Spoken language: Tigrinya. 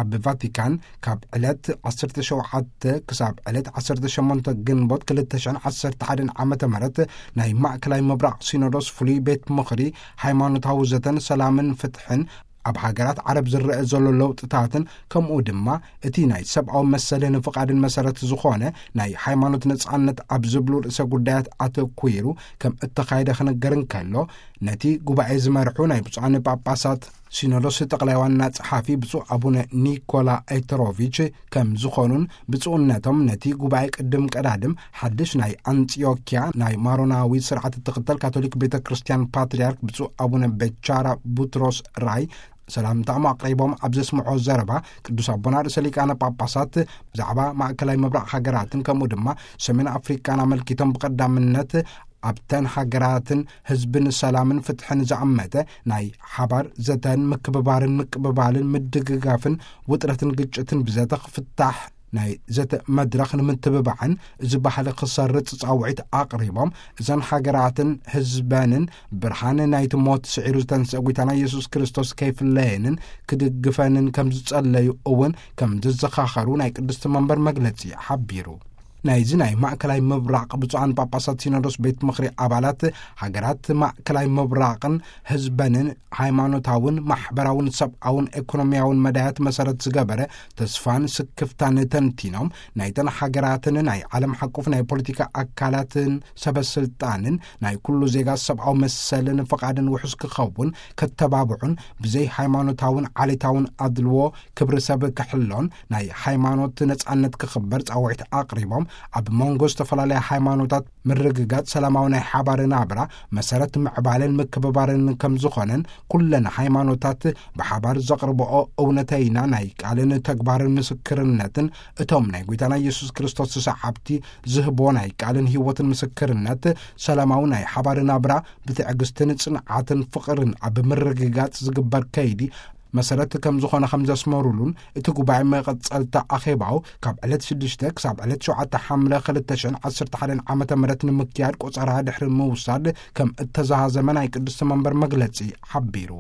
ኣብ ቫቲካን ካብ ዕለት ዓሰርተ ሸውዓተ ክሳብ ዕለት ዓሰርተ ሸሞንተ ግንቦት ክልተ ሽሕን ዓሰርተ ሓደን ዓመተ ምህረት ናይ ማእከላይ ምብራቕ ሲኖዶስ ፍሉይ ቤት ምኽሪ ሃይማኖታዊ ዘተን ሰላምን ፍትሕን ኣብ ሃገራት ዓረብ ዝረአ ዘሎ ለውጥታትን፣ ከምኡ ድማ እቲ ናይ ሰብኣዊ መሰልን ፍቓድን መሰረት ዝኾነ ናይ ሃይማኖት ነጻነት ኣብ ዝብሉ ርእሰ ጉዳያት ኣተኲሩ ከም እተኻየደ ክንገር እንከሎ፣ ነቲ ጉባኤ ዝመርሑ ናይ ብፁዓን ጳጳሳት ሲኖዶስ ጠቕላይ ዋና ጸሓፊ ብፁዕ ኣቡነ ኒኮላ ኤትሮቪች ከም ዝኾኑን፣ ብፁዕነቶም ነቲ ጉባኤ ቅድም ቀዳድም ሓድሽ ናይ ኣንጢዮኪያ ናይ ማሮናዊ ስርዓት እትኽተል ካቶሊክ ቤተ ክርስቲያን ፓትርያርክ ብፁዕ ኣቡነ በቻራ ቡትሮስ ራይ ሰላምታኦም ኣቕሪቦም ኣብ ዘስምዖ ዘረባ፣ ቅዱስ ኣቦና ርእሰ ሊቃነ ጳጳሳት ብዛዕባ ማእከላይ ምብራቕ ሃገራትን ከምኡ ድማ ሰሜን ኣፍሪቃን ኣመልኪቶም፣ ብቐዳምነት ኣብተን ሃገራትን ህዝብን ሰላምን ፍትሕን ዝኣመተ ናይ ሓባር ዘተን ምክብባርን ምቅብባልን ምድግጋፍን ውጥረትን ግጭትን ብዘተ ክፍታሕ ናይ ዘተ መድረኽ ንምትብባዕን እዚ ባህሊ ክሰርጽ ጻውዒት ኣቕሪቦም፣ እዘን ሃገራትን ህዝበንን ብርሃን ናይቲ ሞት ስዒሩ ዝተንስአ ጐይታና ኢየሱስ ክርስቶስ ከይፍለየንን ክድግፈንን ከም ዝጸለዩ እውን ከም ዘዘኻኸሩ ናይ ቅድስቲ መንበር መግለጺ ሓቢሩ። ናይዚ ናይ ማእከላይ ምብራቕ ብፁዓን ጳጳሳት ሲኖዶስ ቤት ምኽሪ ኣባላት፣ ሃገራት ማእከላይ ምብራቕን ህዝበንን ሃይማኖታውን ማሕበራውን ሰብኣውን ኤኮኖሚያውን መዳያት መሰረት ዝገበረ ተስፋን ስክፍታን ተንቲኖም፣ ናይተን ሃገራትን ናይ ዓለም ሓቁፍ ናይ ፖለቲካ ኣካላትን ሰበ ስልጣንን ናይ ኩሉ ዜጋ ሰብኣዊ መሰልን ፍቓድን ውሑስ ክኸውን ከተባብዑን፣ ብዘይ ሃይማኖታውን ዓሌታውን ኣድልዎ ክብሪ ሰብ ክሕሎን ናይ ሃይማኖት ነጻነት ክኽበር ጻውዒት ኣቕሪቦም፣ ኣብ መንጎ ዝተፈላለያ ሃይማኖታት ምርግጋጽ ሰላማዊ ናይ ሓባር ናብራ መሰረት ምዕባለን ምክብባርን ከም ዝኾነን፣ ኩለን ሃይማኖታት ብሓባር ዘቕርብኦ እውነተይና ናይ ቃልን ተግባርን ምስክርነትን፣ እቶም ናይ ጐይታና ኢየሱስ ክርስቶስ ሰዓብቲ ዝህቦ ናይ ቃልን ህይወትን ምስክርነት፣ ሰላማዊ ናይ ሓባር ናብራ ብትዕግስትን ጽንዓትን ፍቕርን ኣብ ምርግጋጽ ዝግበር ከይዲ መሰረት ከም ዝኾነ ከም ዘስመሩሉን፣ እቲ ጉባኤ መቐጸልታ ኣኼባኡ ካብ ዕለት ሽዱሽተ ክሳብ ዕለት ሸውዓተ ሓምለ ክልተ ሽሕን ዓሰርተ ሓደን ዓመተ ምህረት ንምክያድ ቆጸራ ድሕሪ ምውሳድ ከም እተዛዘመ ናይ ቅድስቲ መንበር መግለጺ ሓቢሩ።